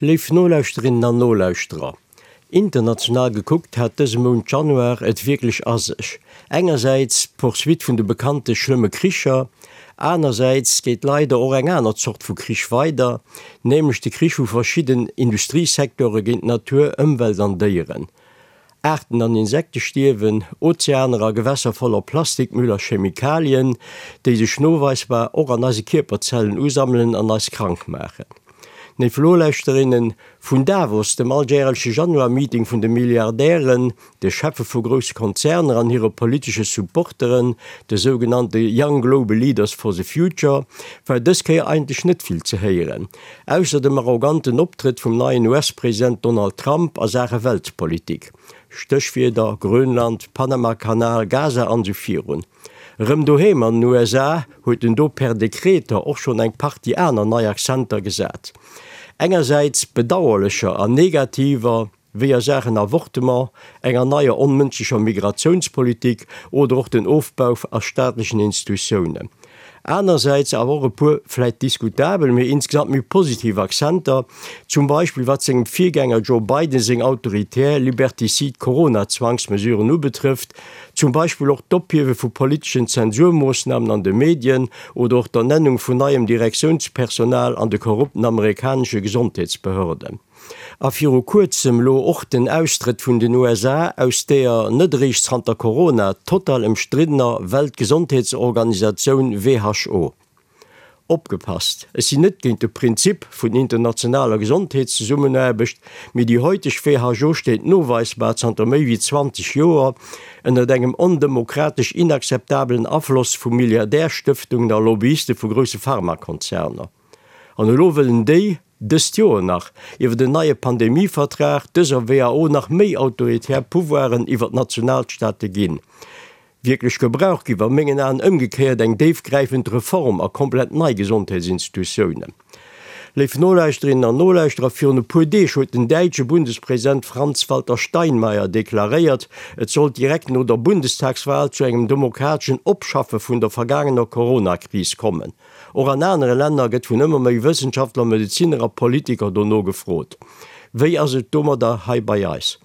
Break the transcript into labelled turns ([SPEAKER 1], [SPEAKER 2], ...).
[SPEAKER 1] Léif Nolauschterinnen an Nolauschterer, international gekuckt hat dëse Mount Januar et wierklech a sech. Engersäits d'Poursuite vun de bekannte schlëmme Kricher, anersäits geet leider och eng aner Zort vu Krich weider, nämlech de Krich vu verschidden Industriesecteure géint Natur, Ëmwelt an Déieren. Aarten an Insekte stierwen, Ozeaner a Gewässer voller Plastikmüll a Chemikalien, déi sech noweisbar och an eise Kierperzellen usammelen an eis krank maachen. Léif Nolauschterinnen, vun Davos, dem alljäreleche Januar-Meeting vun de Milliardären, de Cheffe vu grousse Konzerner an hire politesche Supporteren, de sougenannte Young Global Leaders for the Future, war dës Kéier eigentlech net vill ze héieren. Ausser dem arroganten Optrëtt vum neien US-President Donald Trump a Saache Weltpolitik, Stéchwierder, Grönland, Panamakanal, Gaza an esou virun. Erëm doheem an den USA huet en do per Dekreter och schonn eng Partie aner nei Accenter gesat. Engersäits bedauerlecher an negativer, wéi a Saachen Avortement, enger neier onmënschlecher Migratiounspolitik oder och den Ofbau a staatlechen Institutiounen. Anersäits awer och e puer vläit diskutabel, mee insgesamt méi positiv Accenter, zum Beispill wat sengem Virgänger Joe Biden seng autoritär, liberticide Corona-Zwangsmesuren ubetrëfft, zum Beispill och d'Ophiewe vu politeschen Zensurmoossnamen an de Medien oder och d'Ernennung vun neiem Direktiounspersonal an de korrupten amerikanesche Gesondheetsbehörden. A viru kuerzem lo och den Austrëtt vun den USA aus deeër net eréischt zanter Corona total ëmstriddener Weltgesondheetsorganisatioun WHO. Opgepasst, ech sinn net géint de Prinzip vun internationaler Gesondheetszesummenaarbecht, mee déi heuteg WHO steet noweisbar zanter méi wéi 20 Joer ënnert engem ondemokratesch inakzeptabelen Afloss vu Milliardärstëftungen a Lobbyiste vu grousse Pharmakonzerner. An elo wëllen déi, dëst Joer nach, iwwer en neie Pandemievertrag dëser WHO nach méi autoritär Pouvoiren iwwer d'Nationalstaate ginn. Wierklech gebraucht giff a mengen Aen ëmgekéiert eng déifgräifend Reform a komplett nei Gesondheetsinstitutiounen. Léif Nolauschterinnen an Nolauschterer, virun e puer Deeg huet den däitsche Bundespresident Franz-Walter Steinmeier deklaréiert, et sollt direkt no der Bundestagswahl zu engem demokrateschen Opschaffe vun der vergaangener Corona-Kris kommen. Och an anere Länner gëtt vun ëmmer méi Wëssenschaftler, Medezinner a Politiker dono gefrot. Wéi ass et domadder hei bei eis?